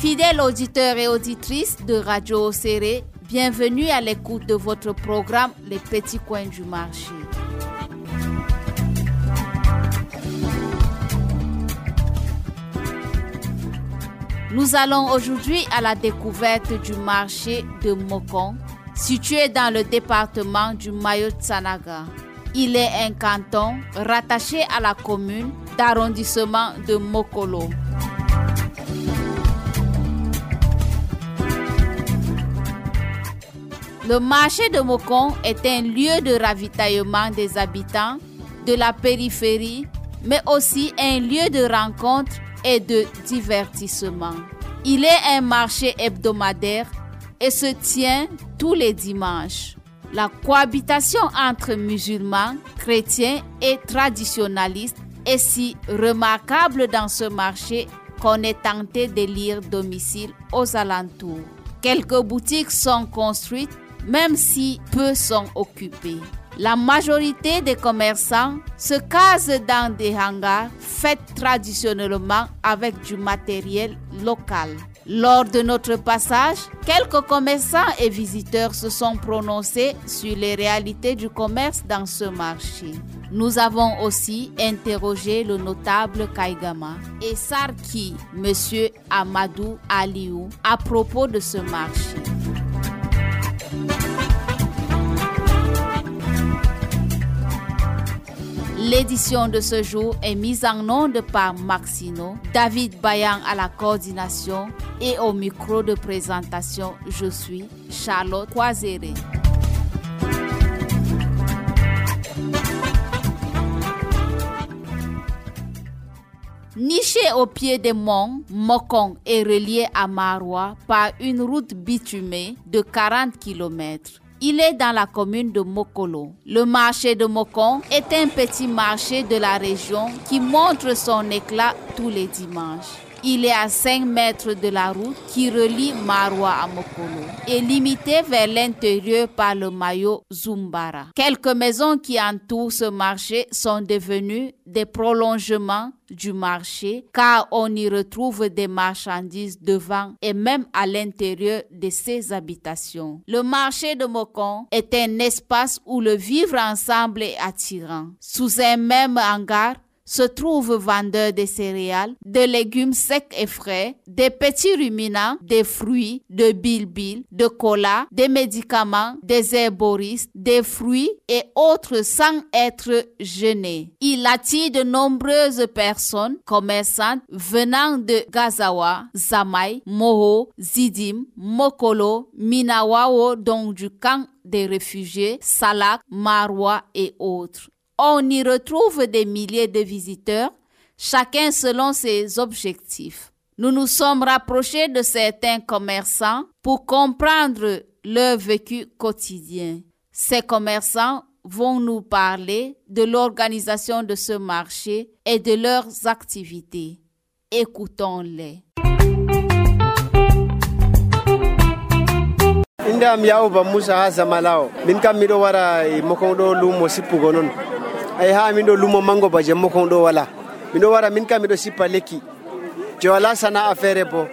Fidèles auditeurs et auditrices de Radio Oséré, bienvenue à l'écoute de votre programme Les Petits Coins du Marché. Nous allons aujourd'hui à la découverte du marché de Mokong, situé dans le département du Mayo-Tsanaga. Il est un canton rattaché à la commune d'arrondissement de Mokolo. Le marché de Mokong est un lieu de ravitaillement des habitants de la périphérie, mais aussi un lieu de rencontre et de divertissement. Il est un marché hebdomadaire et se tient tous les dimanches. La cohabitation entre musulmans, chrétiens et traditionalistes est si remarquable dans ce marché qu'on est tenté d'élire domicile aux alentours. Quelques boutiques sont construites, même si peu sont occupés. La majorité des commerçants se casent dans des hangars faits traditionnellement avec du matériel local. Lors de notre passage, quelques commerçants et visiteurs se sont prononcés sur les réalités du commerce dans ce marché. Nous avons aussi interrogé le notable Kaigama et Sarki, M. Amadou Aliou, à propos de ce marché. L'édition de ce jour est mise en onde par Maxino, David Bayan à la coordination et au micro de présentation, je suis Charlotte Kwazere. Niché au pied des monts, Mokong est relié à Maroua par une route bitumée de 40 km. Il est dans la commune de Mokolo. Le marché de Mokong est un petit marché de la région qui montre son éclat tous les dimanches. Il est à 5 mètres de la route qui relie Maroua à Mokolo et limité vers l'intérieur par le maillot Zumbara. Quelques maisons qui entourent ce marché sont devenues des prolongements du marché car on y retrouve des marchandises devant et même à l'intérieur de ces habitations. Le marché de Mokong est un espace où le vivre ensemble est attirant. Sous un même hangar, se trouvent vendeurs de céréales, de légumes secs et frais, des petits ruminants, des fruits, de bilbil, de cola, des médicaments, des herboristes, des fruits et autres sans être gênés. Il attire de nombreuses personnes commerçantes venant de Gazawa, Zamaï, Moho, Zidim, Mokolo, Minawao, donc du camp des réfugiés, Salak, Maroua et autres. On y retrouve des milliers de visiteurs, chacun selon ses objectifs. Nous nous sommes rapprochés de certains commerçants pour comprendre leur vécu quotidien. Ces commerçants vont nous parler de l'organisation de ce marché et de leurs activités. Écoutons-les. Indam Yaouba Moussa Hazamalao, Minkam Mido Wara, Mokondo Lumo Sipugonon. Ay ha min do lumo mango baje Mokong do wala mido wara min kam mido sippa lekki je wala sana affaire bo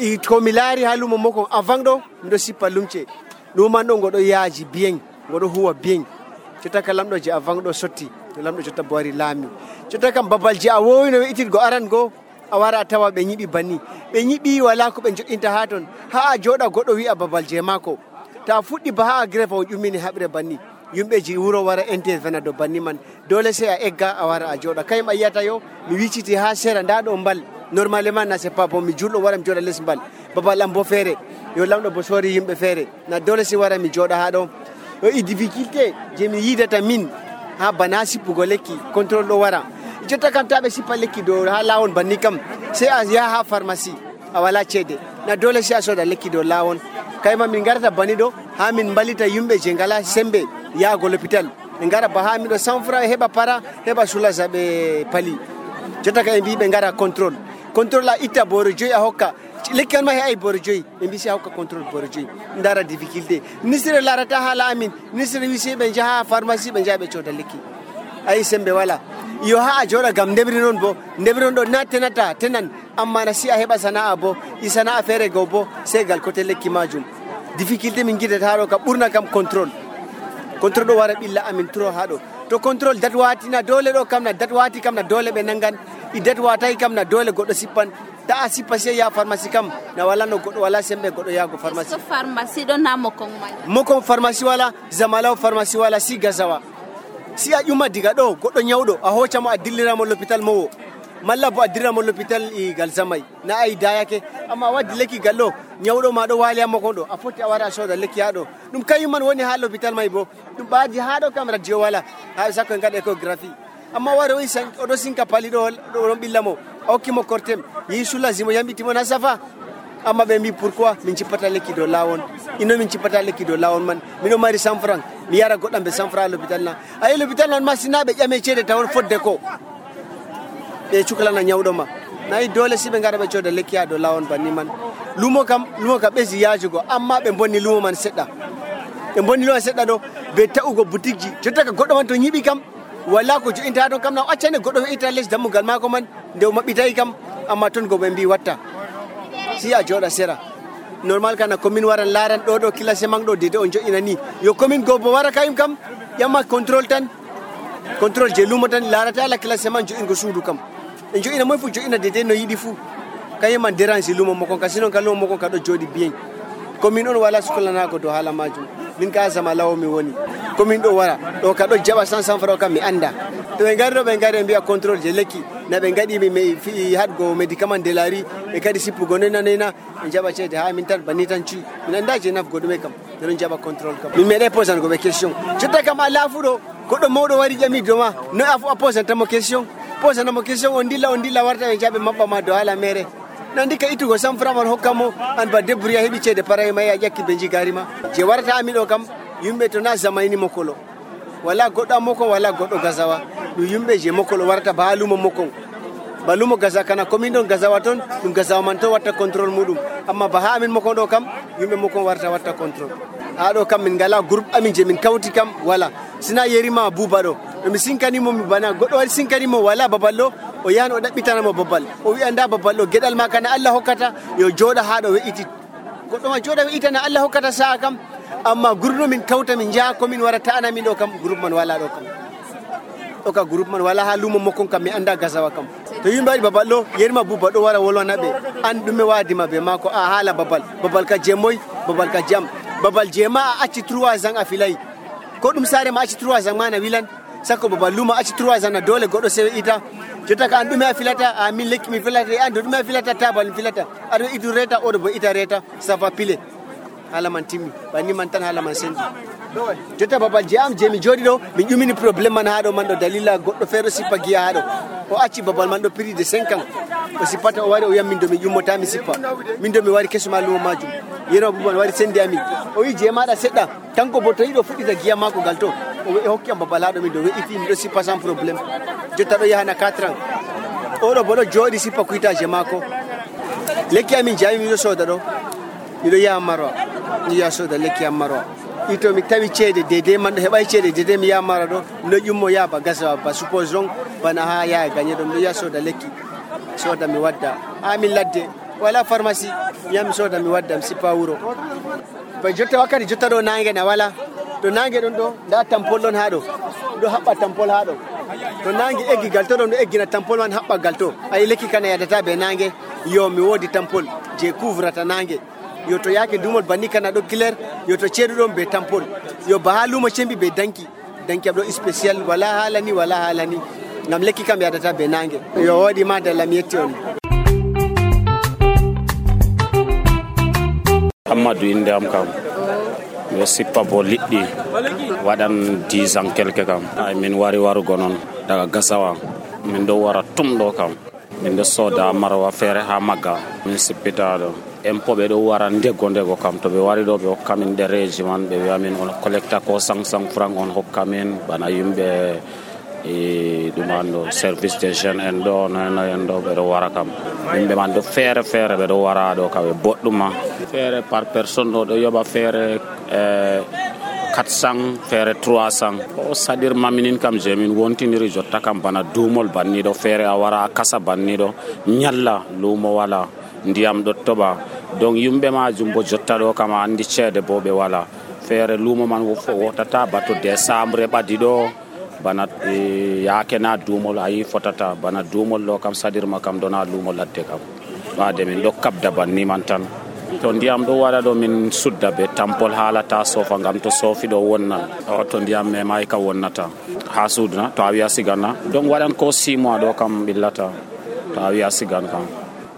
i ko milari ha lumo Mokong avant do mido sippa lumce luman do godo yaaji bien godo huwa bien cota kalam do je avant do sotti lamdo cota boari lami cota kam babal je a wowi no itir go aran go a wara tawa be nyibi banni be nyibi wala ko be jodinta ha ton ha a joda godo wi a babal je mako ta fuddi ba ha grefa o jumini habre banni yumbe ji wuro wara intervena do banni man dole sai a egga a wara a joda kay ma yata yo mi wiciti ha sera ndado mbal normalement na c'est pas bon mi juldo wara mi joda les mbal babal am bo fere yo lamdo bo sori yimbe fere na dole si wara mi joda ha do yo i difficulté je mi yidata min ha banasi pugo lekki control do wara jotta kam tabe sipa lekki do ha lawon banni kam sai a ya ha pharmacie a wala cede na dole si a soda lekki do lawon kay ma min garata bani do ha min balita yumbe je ngala sembe ya go l'hôpital ngara ba ha mi do 100 francs heba para heba sula zabe pali jotta kay bi be ngara contrôle la ita boro joy a hokka lekkan ma hay boro joy be bi si hokka contrôle boro joy ndara difficulté nisire larata hala amin nisire wisi be jaha pharmacie be jabe choda lekki ay sembe wala yo ha joda gam debri non bo debri do na tenata tenan amma na si a heɓa sana'a bo i sana'a feere go bo sey gal kote lekki majum. Difficulté min gidata haɗo kam ɓurna kam contrôle ɗo wara ɓilla amin turo haɗo to contrôle dat watina dole ɗo kam na dat wati kam na dole ɓe nangan i dat watayi kam na dole goɗɗo sippan ta a sippa sey ya pharmacie kam na wala no goɗɗo wala sembe goɗɗo yago pharmacie. Pharmacie ɗo na mokon pharmacie wala zamalaw pharmacie wala si gazawa si a ƴuma diga ɗo goɗɗo nyawɗo a hoccamo a dilliramo l'hôpital mowo malla bo a dirramo l'hôpital gal zamay na ayi dayake amma waddi lekki gallo nyawɗo ma ɗo wali ammo kon ɗo a foti a wara a soda lekki haɗo ɗum kañum man woni ha l'hôpital may bo ɗum ɓaadi haɗo kam radio wala ha sakko en gaɗa échographie amma wari oɗo sinka pali ɗo ɗon ɓillamo a hokkimo cortem yehi soulagimo yambitimo na safa amma ɓe mbi pourquoi min cippata lekki dow lawol ino min cippata lekki dow lawol man miɗo mari 100 francs mi yara goɗɗam ɓe 100 francs l'hôpital na ayi l'hôpital nan ma sina ɓe ƴame ceede tawon fodde ko ɓe cukalana nyawɗo ma nayi dole si ɓe gara ɓe cooda lekki ha dow lawol banni man lumo kam ɓesi yajugo amma ɓe bonni lumo man seɗɗa ɗo ɓe ta'ugo boutique ji jotta ka goɗɗo man to ñiɓi kam wala ko jo'inta ɗon kam na accane goɗɗo heɓita less dammugal mako man nde o maɓɓitayi kam amma toon go ɓe mbi watta si a jooɗa sera normal kana commune waran laran ɗo classement ɗo dede on jo'ina ni yo commune go bo wara kayum kam ƴamma contrôle je lumo tan larata ala classement jo'ingo suudu kam en jo'ina moy fu jo'ina dede no yiɗi fu kayum man dérange lumo mokon ka sinon ka lumo mokon ka ɗo jooɗi bien commune on wala sukalanago dow haala majum min ka sama lawo mi woni commune ɗo wara ɗo ka ɗo jaɓa 100 francs kam mi anda to ɓe ngari ɗo ɓe ngari ɓe mbiya contrôle je lekki na ɓe gaɗi fi haɗgo médicament de lari ɓe kadi sippugo nena ɓe jaɓa ceede ha min tan banni tan cuyi min anda je nafgo ɗume kam ɓe ɗon jaɓa contrôle kam min meeɗe posango ɓe question jotta kam a laafuɗo goɗɗo mawɗo wari ƴami doma no a posantamo question on dilla warta ɓe jaɓe maɓɓama dow haala mere nandi ka ittugo 100 francs man hokkamo an ba débrouilla heɓi ceede paraye ma a ƴakki ɓe jigarima je warata ami ɗo kam yimɓe to na zamayni mokolo wala goɗɗo mokon wala goɗɗo gazawa ɗum yimɓe je mokolo warata ba ha lumo mokon ba lumo gaza kana commune ɗon gazawa toon ɗum gazawa man to watta contrôle muɗum amma ba ha amin mokon ɗo kam yimɓe mokon warata watta contrôle ha ɗo kam min ngala groupe amin je min kawti kam wala sina yerima buuba ɗo mi sinkanimo mi bana goɗɗo wari sinkanimo wala babal ɗo o yahan o ɗaɓɓitanamo babal o wi'a nda babal ɗo gueɗal ma kana Allah hokkata yo jooɗa ha ɗo we'iti goɗɗo ma jooɗa we'itana Allah hokkata sa'a kam amma groupe min kawta min jaha commune wara ta'ana min ɗo kam groupe man wala ɗo kam ɗo ka groupe man wala ha lumo mokkon kam mi anda gazawa kam to yimɓe waɗi babal ɗo yerima buuba ɗo wara wolwana ɓe an ɗume wadima ɓe mako a haala babal ka jeemoy babal ka jam babal jeema a acci 3 ans a filayi ko ɗum saare ma acci 3 ans ma na wilan sakko babal lumo acci 3 ans na dole goɗɗo sewe ita jotta ka an ɗume a filata a min lekki mi filata an do ɗume a filata tabal mi filata aɗo itu reta oɗo bo ita reta ça va pile haala man timmi banni man tan haala man sendi jotta babal je am je mi jooɗi ɗo min ƴumini probléme man ha ɗo man ɗo dalila goɗɗo feere sippa giya ha ɗo o acci babal man ɗo prix de 5 ans o sippata o wari o yam min do mi ƴummota mi sippa min do mi wari kesuma lumo majum yeno buban wari sendi amin o wi je maɗa seɗɗa kanko bo to yiɗo fuɗɗita giya mako gal to o hokki am babal ha ɗo min do we'iti miɗo sippa sans probléme jotta ɗo yahana 4 ans oɗo bo ɗo jooɗi sippa kuyitaje mako lekki amin jami miɗo soda ɗo miɗo yaha Maroa mi yaha soda lekki am Maroa ito mi tawi ceede dede man ɗo heɓay ceede dede mi yaha Maroa ɗo miɗo ƴummo yaha ba gasawa ba supposons bana ha yaha gagne ɗo miɗo yaha soda lekki soda mi wadda ha min ladde wala pharmacie mi yaha mi soda mi wadda mi sippa wuro ba jotta wakkati jotta ɗo nangue na wala to nangue ɗon ɗo nda tampol ɗon ha ɗo ɗo haɓɓa tampol ha ɗo to nangue eggi gal to ɗon ɗo eggina tampol man haɓɓa gal to ayi lekki kana yadata be nangue yo mi wodi tampol je couvrata nangue yo to yaake dumol banni kana ɗo clair yo to ceeɗuɗon be tampol yo ba ha lumo cembi be danki am ɗo spécial wala haalani ngam lekki kam yadata be nangue yo woɗi ma dalla mi yetti on Amadou inde am kam yo sippa bo liɗɗi waɗan 10 ans quelque kam ay min wari warugo noon daga gasawa min ɗo wara tum ɗo kam min ɗo soda Maroa feere ha magga min sippita ɗo impôt ɓe ɗo wara ndego kam to ɓe wari ɗo ɓe hokka min ɗereji man ɓe wiya min on collecta ko 500 francs on hokka min bana yimɓe ɗum an ɗo service des jeunes en ɗo nono en ɗo ɓe ɗo wara kam yimɓe man ɗo feere ɓe ɗo wara ɗo kam ɓe boɗɗuma feere par personne ɗo yoɓa feere 400 feere 300 o sadir maminin kam je min wontindiri jotta kam bana duumol banniɗo feere a wara a kasa banniɗo nyalla luumo wala ndiyam ɗo toɓa donc yumɓe majum bo jotta ɗo kam a andi ceede bo ɓe wala feere luumo man wotata bato décembre ɓadi ɗo bana yaake na duumol ayi fotata bana duumol ɗo kam sadirma kam dona luumo ladde kam ɓaade min ɗo kabda banni man tan to ndiyam ɗo waɗa ɗo min sudda be tampol haalata sofa ngam to soofi ɗo wonnan to ndiyam memay ka wonnata ha suudna to a wiya siganna donc waɗan ko 6 mois ɗo kam ɓillata to a wiya sigan kam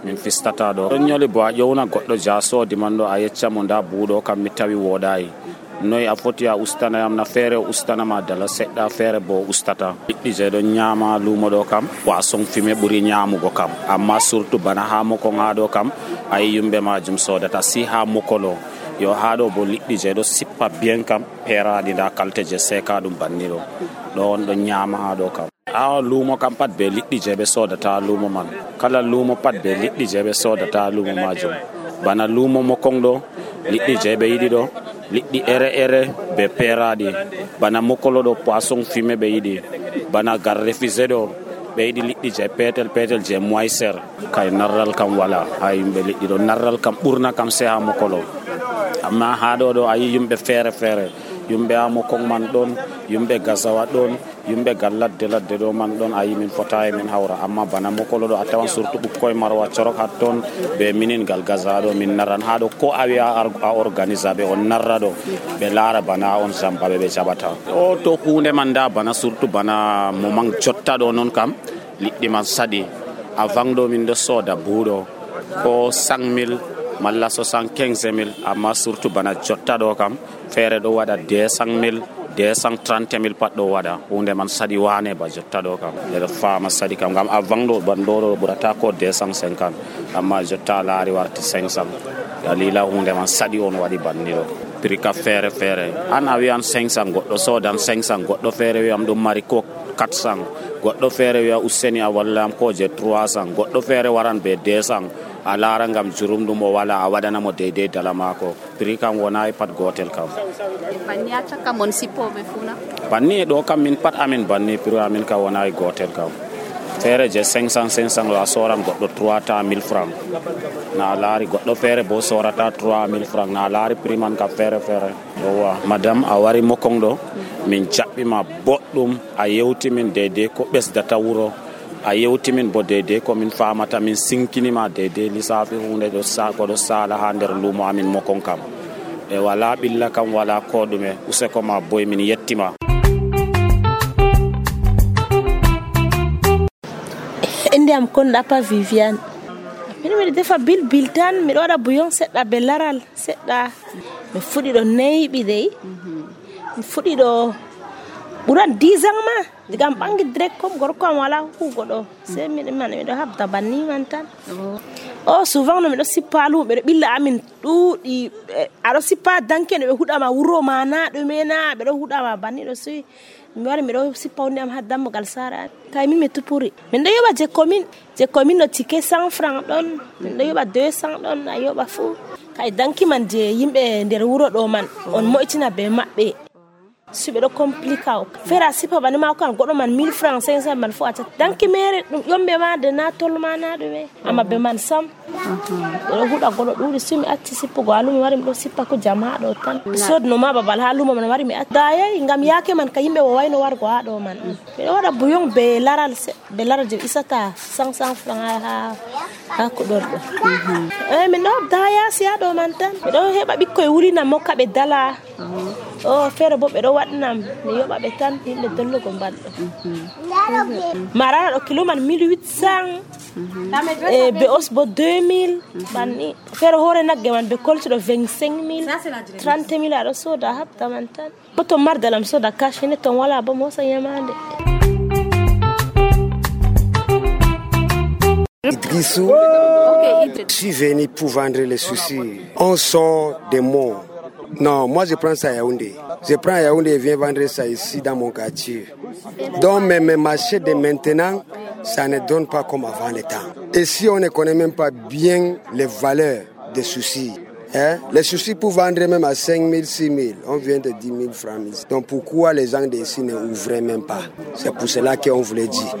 min fistata ɗo ɗon ñoli bo a ƴowna goɗɗo jasodi man ɗo a yecca mo nda buuɗo kam mi tawi woɗayi noyi a foti a ustanayam na feere ustanama dala seɗɗa feere bo ustata liɗɗi je ɗon ñaama luumo ɗo kam poisson fumé ɓuri ñaamugo kam amma surtout bana ha mokon ha ɗo kam ayi yumɓe majum sodata si ha mokolo yo ha ɗo bo liɗɗi je ɗo sippa bien kam peeraɗi nda kalte je seka ɗum banni ɗo ɗo on ɗon ñaama ha ɗo kam a luumo kam pat be liɗɗi je ɓe sodata luumo man kala luumo pat be liɗɗi je ɓe sodata luumo majum bana luumo mokon ɗo liɗɗi je ɓe yiɗi ɗo liɗɗi ere be peeraɗi bana mokolo ɗo poisson fumé ɓe yiɗi bana gar refusé ɗo ɓe yiɗi liɗɗi je petel je moisser kay narral kam wala ha yimɓe liɗɗi ɗo narral kam ɓurna kam se ha mokolo amma ha ɗo ayi yumɓe feere yumɓe ha mokon man ɗon yumɓe gasawa ɗon yumɓe gal ladde ɗo man ɗon ayi min fotayi min hawra amma bana mokolo ɗo a tawan surtout ɓukkoye marwa corok hat toon ɓe minin gal gasawa ɗo min narran ha ɗo ko a wiya a organisa ɓe on narra ɗo ɓe laara bana on jampaɓe ɓe jaɓata o to hunde man da bana surtout bana moment jotta ɗo noon kam liɗɗi man saɗi avant ɗo min ɗo sooda buuɗo ko 100 000 malla 75 000 amma surtout bana jotta ɗo kam feere ɗo waɗa 200 000 230 000 pat ɗo waɗa hunde man saɗi wane ba jotta ɗo kam ɓeɗo faama saɗi kam ngam avant ɗo banɗo ɓurata ko 250 amma jotta laari warti 500 dalila hunde man saɗi on waɗi banni ɗo prix ka feere an a wiyan 500 goɗɗo sodan 500 goɗɗo feere wiyam ɗum mari ko 400 goɗɗo feere wiya useni a wallam ko je 300 goɗɗo feere waran be 200 a laara ngam jurum ɗum o wala a waɗanamo deydey dala maako prix kam wonayi pat gotel kam banni a cakka mon sippoɓe funa banni ɗo kam min pat amin banni prix amin kam wonayi gotel kam feere je 500 a soran goɗɗo 300 francs na laari goɗɗo feere bo sorata 3000 francs na laari prix man kam feere yowa madame a wari mokon ɗo min jaɓɓima boɗɗum a yewtimin deydey ko ɓesdata wuro a yewtimin bo deydey ko min famata min sinkinima deydey lissafi hunde ko ɗo sala ha nder luumo amin mokon kam e wala ɓilla kam wala ko ɗume useko ma boy min yettima. Indiam konɗa pa Viviane min miɗo defa bil tan miɗo waɗa bouillon seɗɗa be laral seɗɗa mi fuɗi ɗo neyɓi dey mi fuɗi ɗo ɓuran 10 ans ma digam ɓangi direct comme gorko am wala hugo ɗo sei miɗo habda banni man tan souvent no miɗo sippa lumo ɓeɗo ɓilla amin ɗuuɗi aɗo sippa danke no ɓe huɗama wuro ma na ɗume na ɓeɗo huɗama banni ɗo soyi mi wari miɗo sippa hunde am ha dammugal saare tawi min mi tupuri min ɗo yoɓa je commune ɗo ticket 100 francs ɗon min ɗo yoɓa 200 ɗon a yoɓa fuu kay danki man je yimɓe nder wuro ɗo man on moƴtina be maɓɓe suɓe ɗo compliqué o feere a sippa bani ma kan goɗɗo man 1000 francs 500 man fo a tat danki mere ɗum ƴomɓe ma de na tolma na ɗume amma be man sam ɓeɗo huɗa goɗɗo ɗuuɗi sumi acci sippugo ha lumo wari miɗo sippa ko jam ha ɗo tan sodnoma babal ha lumo man wari mi acci dayayi ngam yaake man ka yimɓe wowayno wargo ha ɗo man miɗo waɗa bouillon be laral je isata 500 francs ha kuɗorɗo min ɗo habda ha yaasi ha ɗo man tan miɗo heɓa ɓikkoye wulina mokka ɓe dala feere bo ɓeɗo waɗnam mi yoɓa ɓe tan yimɓe dollugo mbalɗo marana ɗo kilo man 1800 be os bo 2000 banni feere hoore nagge man be koltuɗo 25000 30000 aɗo soda habda man tan bo to mardalam soda cash ne ton wala bo mosa yamande. Idrissou, je suis venu pour vendre les soucis. On sort des mots. Non, moi je prends ça à Yaoundé. Je prends à Yaoundé et viens vendre ça ici dans mon quartier. Donc mes marchés de maintenant, ça ne donne pas comme avant le temps. Et si on ne connaît même pas bien les valeurs des soucis, Les soucis pour vendre même à 5 000, 6 000, on vient de 10 000 francs. Donc pourquoi les gens d'ici ne ouvraient même pas? C'est pour cela qu'on voulait dire.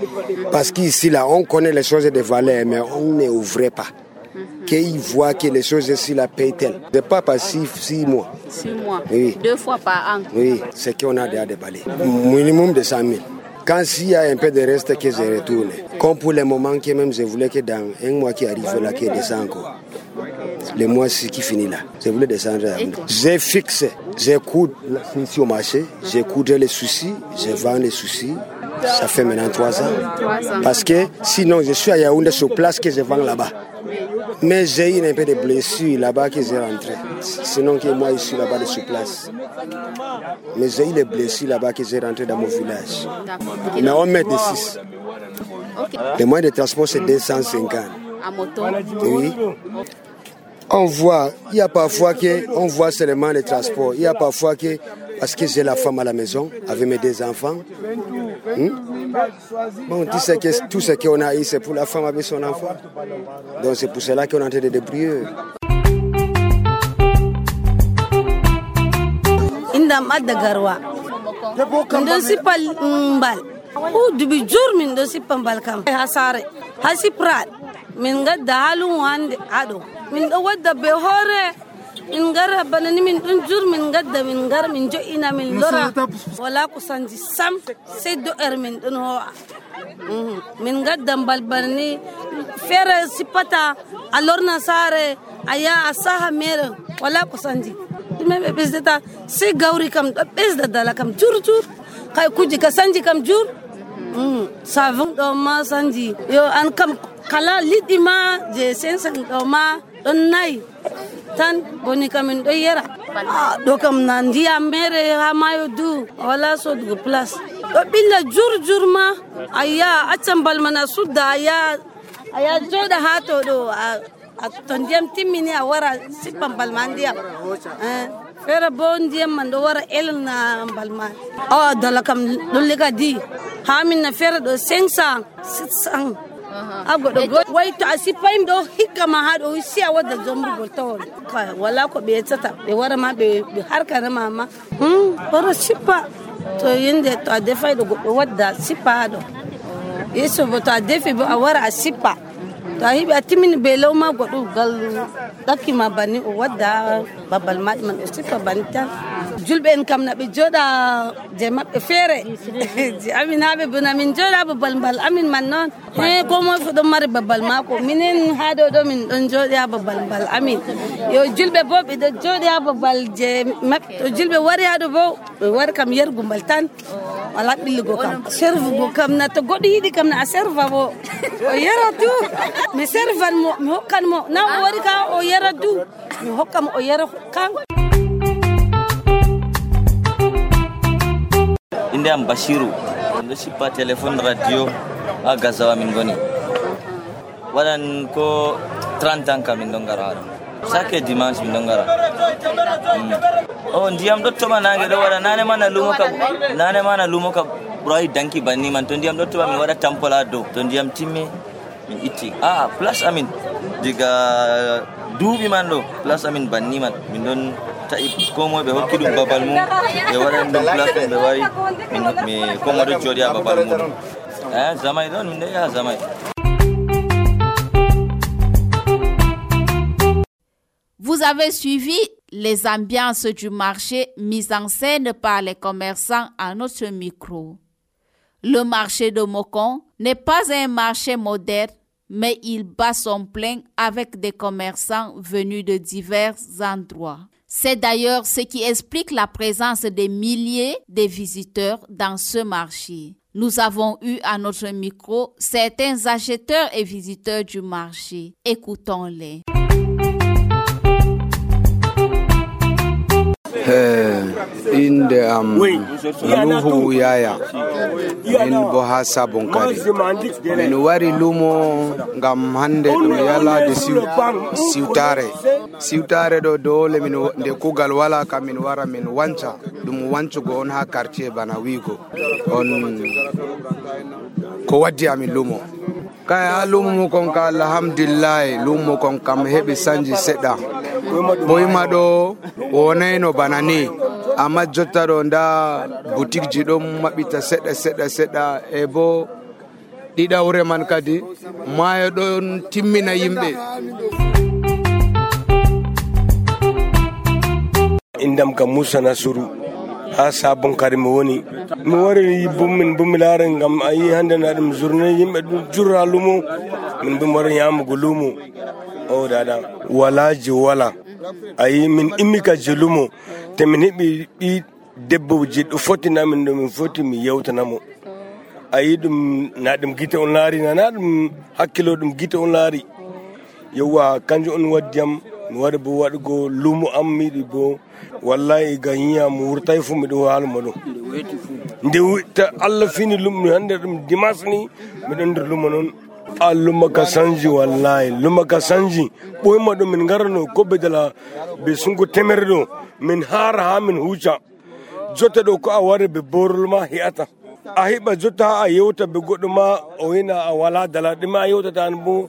Parce qu'ici, là, on connaît les choses de valeur, mais on ne ouvrait pas. Qu'ils voient que les choses ici la payent tel. C'est pas par 6 mois. 6 mois, oui. 2 fois par an. Oui, c'est qu'on a déjà déballé. Minimum de 100 000. Quand s'il y a un peu de reste que je retourne. Comme pour les moments que même je voulais que dans un mois qui arrive là, qu'il descend encore. Le mois-ci qui finit là, je voulais descendre. J'ai fixé, j'écoute ici au marché, j'écoute les soucis, je vends les soucis. Ça fait maintenant 3 ans. Parce que sinon, je suis à Yaoundé sur place que je vends là-bas. Mais j'ai eu un peu de blessures là-bas que j'ai rentré. Sinon que moi, je suis là-bas sur place. Mais j'ai eu les blessures là-bas que j'ai rentré dans mon village. Mais on met des 6. Le moyen de transport, c'est 250. À moto? Oui. On voit, il y a parfois qu'on voit seulement les transports. Il y a parfois que, parce que j'ai la femme à la maison, avec mes 2 enfants. Bon, tu sais que tout ce qu'on a ici, c'est pour la femme avec son enfant. Donc c'est pour cela qu'on est en train de débrouiller. Indam adda garwa. Ndo sipal mbal. U dubi jur min do sipal mbal kam. Hasare. Hasiprat. Min gadda halun wande ado. Min do wadda be hore. Min gara banani min dun jur min gadda min gar min jo ina min lora. Wala ko sanji sam sai do min dun ho. Min gadda mbal banani fere sipata alorna sare aya asaha mere wala ko sanji. Meme bezeta se gauri kam bezda dala kam jur kay kuji ka sanji kam jur savon do ma sanji yo an kam kala lidima je sensa do ma don nai tan boni kam do yera do kam nan dia mere ha mayo du wala so du place do billa jur ma aya achambal mana sudda aya joda hato do tondiam timmini a wara sippam balmandiam fere bondiam man do wara elna balman dala kam dulliga di hamin na fere do 500 600 agodo way to asipaim do hikama ha do siya wadda jombu boltol wala ko be tata be wara ma be harka na mama wara sippa to yinde to defay do wadda sippa do yeso to defi bo a wara sippa tahibi atimin belo ma godu gal dakima bani o wadda babal man ustifa banita julbe en kam na be joda je mabbe fere ji amin habe buna min joda babal bal amin man non ko mo fu do mari babal mako minen hado do min don joda babal bal amin yo julbe bobe do joda babal je mabbe to julbe wari hado bo war kam yergu baltan wala bilgo kam serve go kam na to godi hidi kam na serve bo o yera tu mi servan mo mi hokkan mo na o wari ka o yera du mi hokkam o yera kan inde am Bashiru ndo sipa telephone radio a Gazawa min goni wadan ko 30 ans kam min dongara chaque dimanche min dongara ndiyam do toma nange do wada nane mana lumo ka burai danki banni man to ndiyam do toma mi wada tampola do to ndiyam timmi min itti plus amin diga duubi man do plus amin banni man min don ta'i ko mo be hokki dum babal mu be wadan dum plus be wari min mi ko mo do jodi babal mu zamay don min ya zamay. Vous avez suivi les ambiances du marché mises en scène par les commerçants à notre micro. Le marché de Mokon n'est pas un marché moderne, mais il bat son plein avec des commerçants venus de divers endroits. C'est d'ailleurs ce qui explique la présence des milliers de visiteurs dans ce marché. Nous avons eu à notre micro certains acheteurs et visiteurs du marché. Écoutons-les. Inde am Nuhu Yaya min bo ha sabon kare min wari lumo ngam hande dum yala de siwtare do dole min de kugal wala kam min wara min wanca dum wancugo on ha quartier bana wigo on ko waddi amin lumo kay lumo kon ka alhamdulillah lumo kon kam hebi sanji sedda ɓoyma ɗo wonayno bana ni, amma jotta ɗo nda boutique ji ɗon maɓɓita seɗɗa e bo ɗiɗawre man kadi maayo ɗon timmina yimɓe. Indam ka Musa Nasuru ha sabon kare mi woni mi wari bumi laare ngam ayi hande na ɗum journée yimɓe ɗum jurra lumo min bumi wari yamugo lumo o dada walaji wala ayi min immi ka je lumo te min heɓi ɗi debbo je ɗo fottinamin ɗo min foti mi yewtanamo ayi ɗum na ɗum gite on laari na ɗum hakkilo ɗum gite on laari yewwa kanjum on waddiyam mi wari bo waɗugo lumo am miɗi bo wallahi ga yiya mo wurtay fu miɗo haalmo ɗum nde Allah fini lumo hande ɗum dimanche ni miɗon nder lumo noon luma ka sanji wallahi luma ka sanji ɓoyma ɗo min garano koɓe dala ɓe sungo temere ɗo min haara ha min huuca jotta ɗo ko a wari ɓe borol ma he'ata a heɓa jotta ha a yewta ɓe goɗɗo ma o wina a wala dala ɗume a yewtata an bo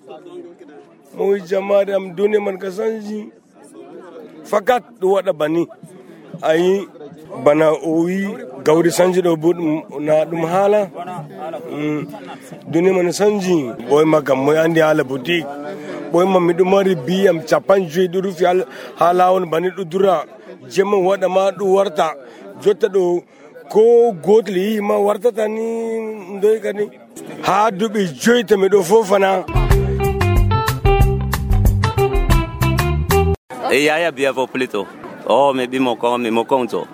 mo wi jamare am duniya man ka sanji fakat ɗo waɗa bani ayi bana o wi gawri sanji ɗo bo na ɗum haala duniya man sanji ɓoyma kam moy andi haala boutique ɓoyma miɗo mari biyam 50 ɗo rufi ha lawol bani ɗo dura jemma waɗa ma ɗo warta jotta ɗo ko gotel yi ma wartata ni ndoy kadi ha duɓi 5 to miɗo fofana. Yaya biavo plutôt. Oh, mais mi mokon to.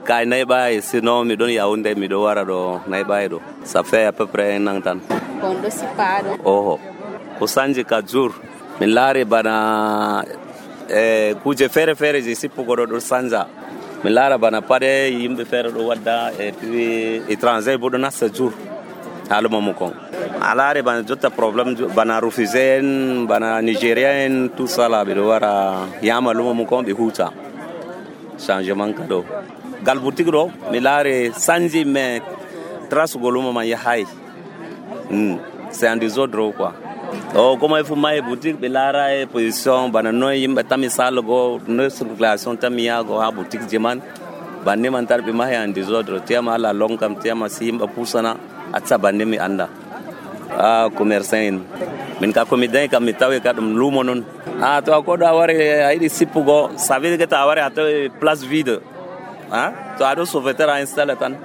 Kai naiba sinon mi don Yaoundé mi do wara do naiba do. Ça fait à peu près un an tan. Kondo sipado. Oh. Kusanji kajur. Mi lare bana kuje fere je sipugo do sanja. Mi lara bana pade yimbe fere do wadda et puis étranger bodo na séjour. Halu momokon. Alare bana jotta problème bana refusé bana nigérien tout ça là bido wara yama lumo momokon be huta. Changement kado. Gal boutique do mi lare sanji me trace golumo man ya hay. C'est un désordre quoi. Oh comment il faut mailler boutique be lara position bana no yimbe tami salgo no circulation tamia go ha boutique jeman banne man tarbi ma ya un désordre tiama la longam tiama simba pusana atsa banne mi anda. Commerçant min ka komiden kam mitawe ka dum lumo non to ko da ware aydi sipugo ça veut dire que ta ware ato place vide to ado sauveteur a installé tan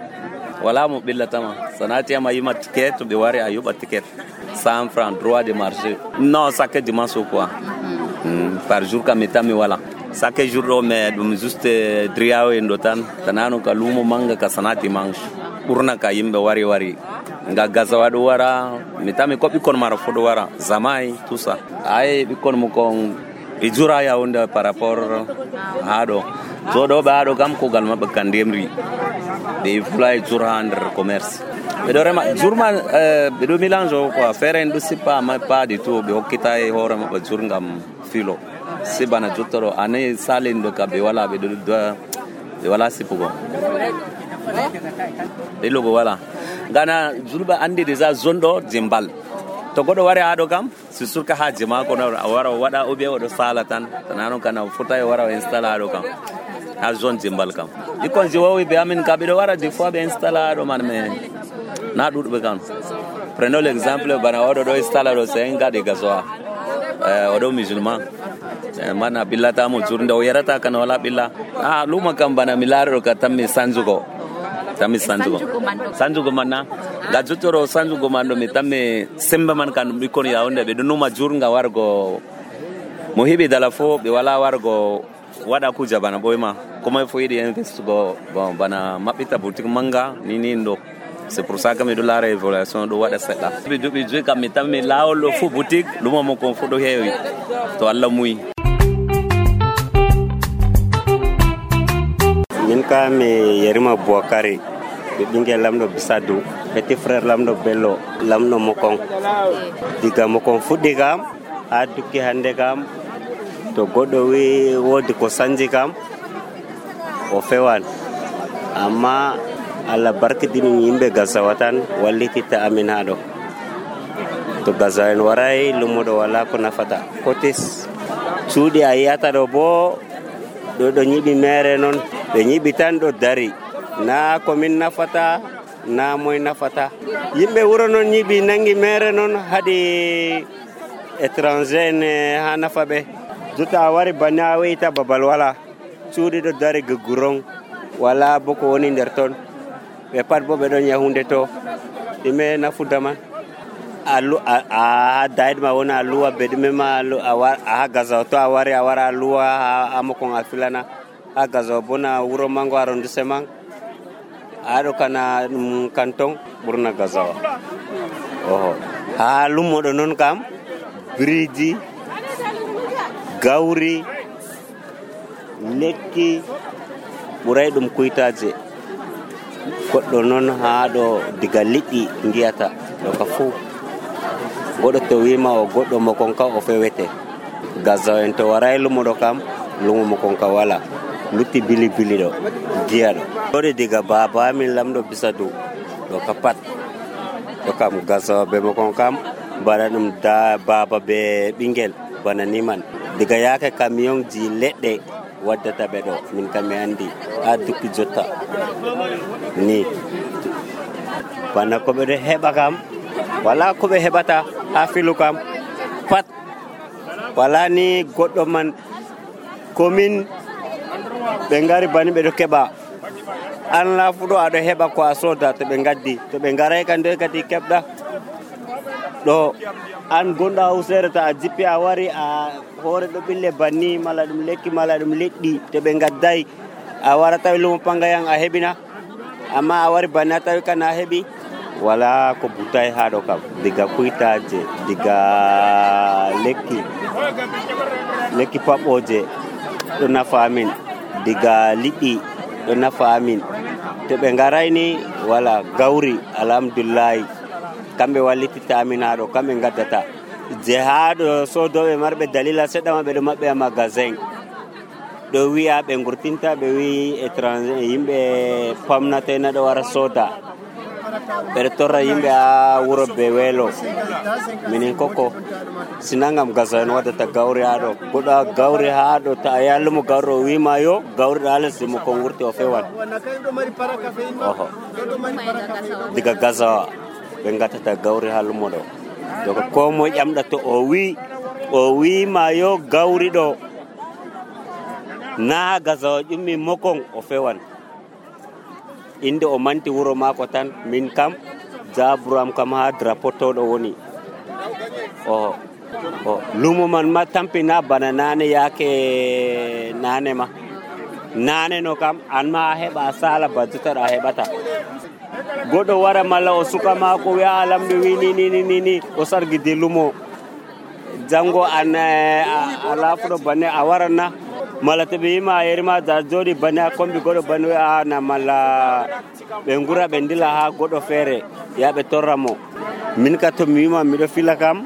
wala mo billatama sanati ama yima ticket to be ware ayuba ticket 100 francs droit de marché non ça que dimanche quoi par jour kam mitami wala ça que jour mais dum juste driawe ndotan tanano ka lumo manga ka sanati manche urna ka yimbe wari nga gazawa do wara mitami ko bikon mara fodo wara zamai tout ça ay bikon mo kon ijura ya onda par rapport hado so do ba do kam ko gal mabbe kandemri de fly jura under commerce be do rema jurma be do mélange ko faire ndo sipa ma pas du tout be hokita e hore mabbe jurngam filo sibana jottoro ane salindo ka be wala be do be wala sipugo de logo wala gana zulba andi déjà zone do jimbal to godo wari ado kam si surka ha jima ko na wara wada obe wado sala tan tanano kana futa e wara installa ado kam ha zone jimbal kam ikon jiwawi be amin ka be do wara des fois be installa ado man me na dudbe kam prenons l'exemple bana wado do installa do senga de gazoa odo musulman mana billata mo jurnde o yarata kana wala billa luma kam bana milaro ka tammi sanjugo sanjugo manna ga jutoro sanjugo mando mi tamme semba man kan mi kon Yaoundé be dunuma jurnga wargo mo hebi dala fo be wala wargo wada kuja bana boyma kuma fo yidi investugo bon bana mabita boutique manga ni ndo c'est pour ça que me dollar évaluation do wada sedda bi dubi je kam mi tamme lawol fo boutique luma mo kon fo do heewi to Allah muy min ka me yerima Bouakari ɓingel lamɗo Bisadou petit frère lamɗo Bello lamɗo Mokon diga Mokon fuɗɗi kam ha dukki hande kam to goɗɗo wi wodi ko sanji kam o fewan amma Allah barkidini yimɓe Gazawa tan wallititta amin haɗo to Gazawa en waray lummoɗo wala ko nafata kotis cuuɗi a yiyata ɗo bo ɗo nyiɓi mere noon ɓe nyiɓi tan ɗo dari na komin nafata na moy nafata yimɓe wuro noon nyiɓi nangi mere noon haɗi étranger en ha nafa ɓe jotta a wari banne a weyita babal wala cuuɗi ɗo dari gugguron wala bo ko woni nder ton ɓe pat bo ɓe ɗon yahunde to ɗume nafuda man a dayiɗma wona a luwa be ɗume ma ha gazawo to a wari a wara a luwa ha mokon a filana ha gazawo bona wuro mango arrondissement aɗo kana ɗum canton ɓurna gazawa oho ha lummoɗo noon kam biriji gawri lekki ɓuray ɗum kuytaje goɗɗo noon ha ɗo diga liɗɗi ngiyata ɗo ka fuu goɗɗo to wima o goɗɗo mokon ka o fewete gazawo en to waray lummoɗo kam lumo mokon ka wala lutti bili ɗo giya ɗo ɗoɗe diga baba amin lamɗo Bisadu ɗo ka pat ɗo kam gazawo be mokon kam bana ɗum da baba be ɓingel bana niman diga yake camion ji leɗɗe waddata ɓe ɗo min kam mi andi ha duppi jotta ni bana ko ɓe ɗo heɓa kam wala ko ɓe heɓata ha filu kam pat wala ni goɗɗo man komin ɓe ngari bani ɓe ɗo keɓa an lafuɗo aɗo heɓa ko a soda to ɓe gaddi to ɓe ngaray kan nde kadi keɓɗa ɗo an gonɗo hawsere to a jippi a wari a hoore ɗo ɓille banni mala ɗum lekki mala ɗum leɗɗi to ɓe gadday a wara tawi lumo pangayan a heɓina amma a wari banni a tawi kan a heɓi wala ko butay ha ɗo kam diga kuytaje diga lekki paɓɓoje ɗo nafa amin diga liɗɗi ɗo nafa amin to ɓe ngarayni wala gawri alhamdulillahi kamɓe wallititta amin ha ɗo kamɓe gaddata je ha ɗo sodoɓe marɓe dalila seɗɗa ɓe ɗo maɓɓe a magasin ɗo wi'a ɓe gurtinta ɓe wi étranger yimɓe pamnatena ɗo wara soda ɓeɗo torra yimɓe ha wuro be weelo minin koko sinangam gazawo en waddata gawri ha ɗo goɗɗo gawri ha ɗo ta a yalumo gawri o wima yo gawri ɗo ha lesdi mo kon wurti o fewan oho diga gazawa ɓe gattata gawri ha lumo ɗo donc ko moye ƴamɗa to o wima yo gawri ɗo na gazawa ƴummi mokon o fewan inde o manti wuro mako tan min kam jaburam kam ha drapeau to ɗo woni o lumo man ma tampina bana nane yake nane ma nane no kam an ma a heɓa a sala ba jottaɗo a heɓata goɗɗo wara malla o suka mako wi'a lamɗo wi ni o sargidi lumo jango an a lafuɗo banne a waranna malla to ɓe yima a yerima da joɗi banne a kombi goɗɗo banne wi a na malla ɓe gura ɓe ndila ha goɗɗo feere ya ɓe torra mo min ka to mi wima miɗo fila kam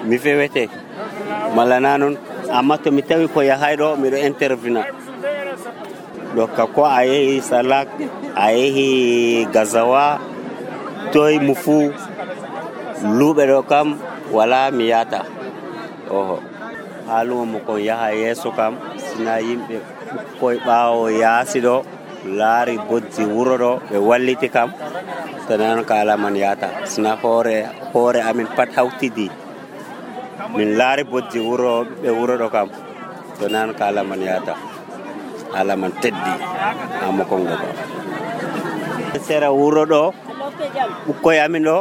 mi fewete malla na noon amma to mi tawi ko yahay ɗo miɗo intervina ɗo ka ko a yehi Salak a yehi Gazawa toye mo fuu luuɓe ɗo kam wala mi yata oho ha lumo mo kon yaha yeeso kam sina yimɓe ɓukkoye ɓaawo yaasi ɗo laari bojji wuro ɗo ɓe walliti kam to non ka ala man yata sina hoore amin pat hawtidi min laari bojji wuro ɓe wuro ɗo kam to non ka ala man yata ala man teddi ha mo kon goba sera wuro ɗo ɓukkoye amin ɗo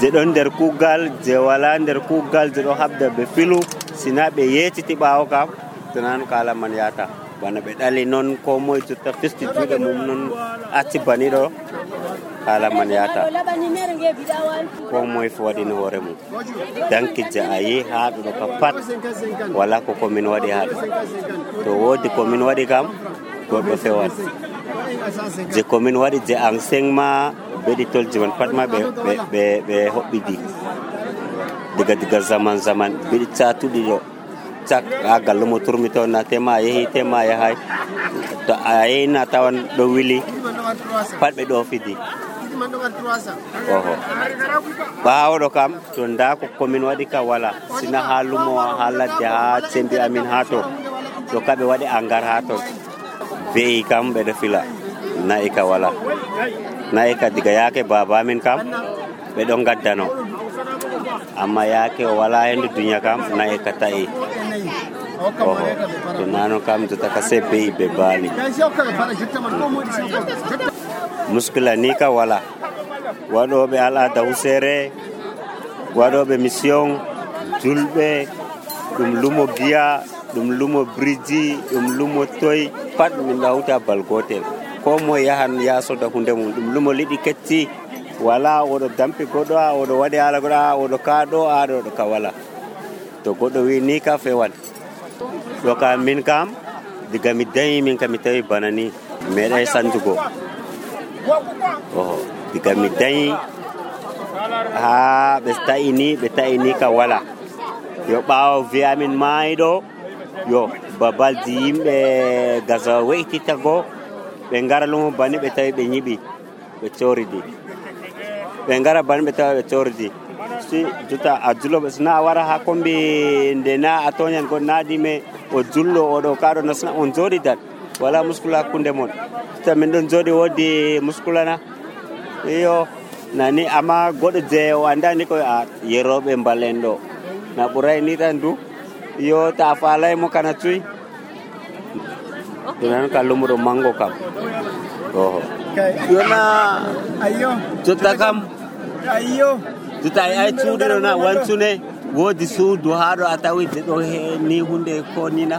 je ɗon nder kuugal je wala nder kuugal je ɗo habda ɓe filu sina ɓe yeciti ɓaawo kam to non ka ala man yata bana ɓe ɗali noon ko moye jotta festi juuɗe mum noon acci bani ɗo haala man yata ko moye fo waɗino hoore mum danki je a yi ha ɗo ka pat wala ko komin waɗi ha ɗo to woodi komin waɗi kam goɗɗo fewan je komin waɗi je enseignement beɗitolji man pat ma ɓe hoɓɓidi diga zaman beɗi catuɗi ɗo cak ha gallumo turmi to na tema a yehi tema a yahay to a yehina tawan ɗo wili pat ɓe ɗo fidi oho ɓaawɗo kam to nda ko komin waɗi ka wala sina ha lumo ha ladde ha sembi amin ha to kaɓe waɗi angar ha ton beyi kam ɓeɗo fila nayi ka wala nayi ka diga yaake baba amin kam ɓeɗo gaddano amma yaake o wala hendu duniya kam nayi ka ta'i oho to nano kam jota ka se beyi ɓe baali muskila ni ka wala waɗoɓe al'ada husere waɗoɓe mission julɓe ɗum lumo giya ɗum lumo briji ɗum lumo toy pat min hawta bal gotel ko moye yahan yasoda hunde mum ɗum lumo liɗi ketti wala oɗo dampi goɗɗo a oɗo waɗi hala goɗɗo a oɗo kaɗo aɗo oɗo ka wala to goɗɗo wi ni ka fewan ɗo kam min kam diga mi dañi min kam mi tawi bana ni meeɗay sanjugo oho diga mi dañi ha ɓe ta'ini ka wala yo ɓaawo wiyamin maayiɗo yo babalji yimɓe gasawa we'titago ɓe ngara lumo bani ɓe tawi ɓe ñiɓi ɓe coridi ɓe ngara bani ɓe tawi ɓe coridi si juta a juloɓe sina a wara ha kombi nde na a toñan go naadime o jullo oɗo kaɗo nasna on jooɗidat wala muskula hakkunde mon juta min ɗon jooɗi woodi muskulana iyo nani amma goɗɗo je o andani koye a yeroɓe mbalen ɗo na ɓuray ni tan du yo ta falay mo kana cuy ɗumen ka lumuɗo mango kam oho yona jotta kam jotta ay cuuɗo na wancune woodi suudu haɗo a tawi de ɗo ni hunde ko nina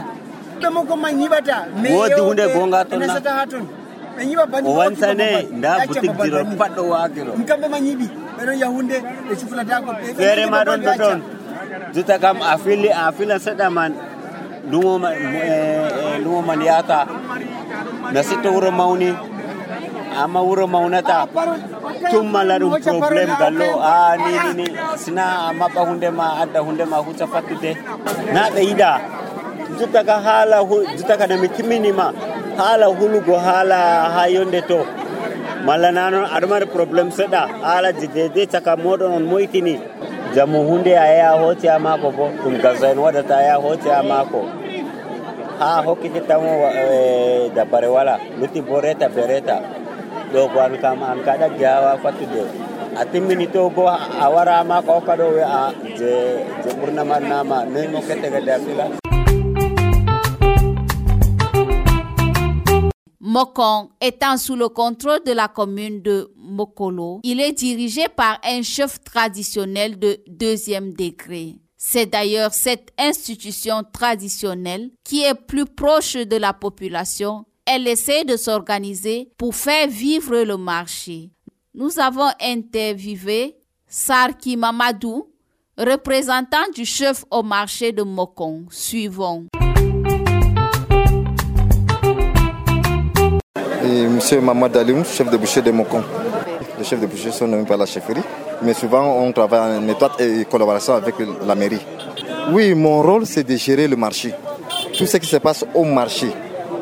woodi hunde gonga toon na o wansane nda boutique jiro paɗɗo waagiro feere ma ɗon ɗo ɗon jotta kam a fila seɗɗa man lumo man yata na sitto wuro mawni amma wuro mawnata tummala ɗum probléme gallo a ni sina a maɓɓa hunde ma adda hunde ma hucca fattude na ɓe yiɗa jotta ka haala jotta ka nami timminima haala hulugo haala ha yonde to malla na noon aɗa mari probléme seɗɗa haalaji dede caka moɗon on moytini jamu hunde a yaha hooti ha maako bo ɗum gaso en waɗata a yaha hooti ha maako ha hokkitittamo dabbare wala lutti bo reta be reta ɗo ko an kam an ka ɗaggi ha fattude a timmini to bo a wara ha maako hokka ɗo we a je ɓurna man nama noyi mo kette gadde a fila. Mokong étant sous le contrôle de la commune de Mokolo, il est dirigé par un chef traditionnel de 2e degré. C'est d'ailleurs cette institution traditionnelle qui est plus proche de la population. Elle essaie de s'organiser pour faire vivre le marché. Nous avons interviewé Sarki Mamadou, représentant du chef au marché de Mokong. Suivons. Et Monsieur Mamad Alioum, chef de boucher de Mokong. Les chefs de boucher sont nommés par la chefferie, mais souvent on travaille en étroite collaboration avec la mairie. Oui, mon rôle c'est de gérer le marché. Tout ce qui se passe au marché,